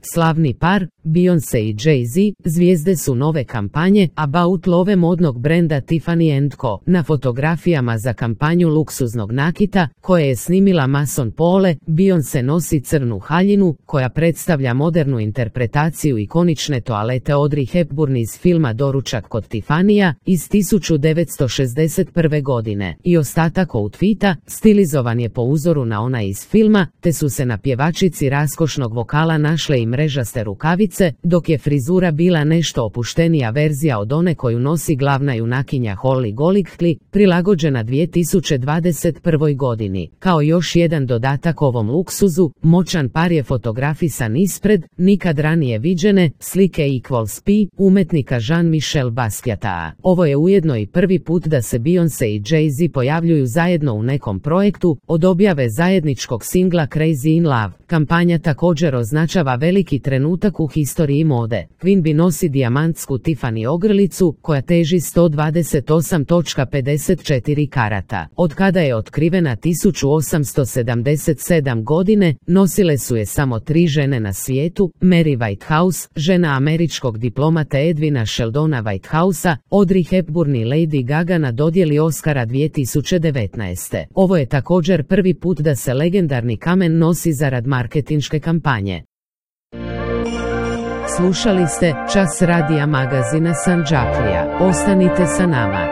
Slavni par, Beyoncé i Jay-Z, zvijezde su nove kampanje About Love modnog brenda Tiffany & Co. Na fotografijama za kampanju luksuznog nakita, koje je snimila Mason Pole, Beyoncé nosi crnu haljinu, koja predstavlja modernu interpretaciju ikonične toalete Audrey Hepburn iz filma Doručak kod Tiffanyja iz 1961. godine. I ostatak outfita stilizovan je po uzoru na ona iz filma, te su se na pjevačici raskošnog vokala našle i mrežaste rukavice, dok je frizura bila nešto opuštenija verzija od one koju nosi glavna junakinja Holly Golightly, prilagođena 2021. godini. Kao još jedan dodatak ovom luksuzu, moćan par je fotografisan ispred nikad ranije viđene slike Equals P umetnika Jean-Michel Basquiata. Ovo je ujedno i prvi put da se Beyoncé i Jay-Z pojavljuju zajedno u nekom projektu od objave zajedničkog singla Crazy in Love. Kampanja također označava veliki trenutak u historiji mode. Queen Bee nosi dijamantsku Tiffany ogrlicu koja teži 128.54 karata. Od kada je otkrivena 1877. godine, nosile su je samo 3 žene na svijetu: Mary Whitehouse, žena američkog diplomata Edwina Sheldona Whitehousea, Audrey Hepburn i Lady Gaga na dodjeli Oscara 2019. Ovo je također prvi put da se legendarni kamen nosi zarad marketinške kampanje. Slušali ste Čas radija magazina Sandžaklija. Ostanite sa nama.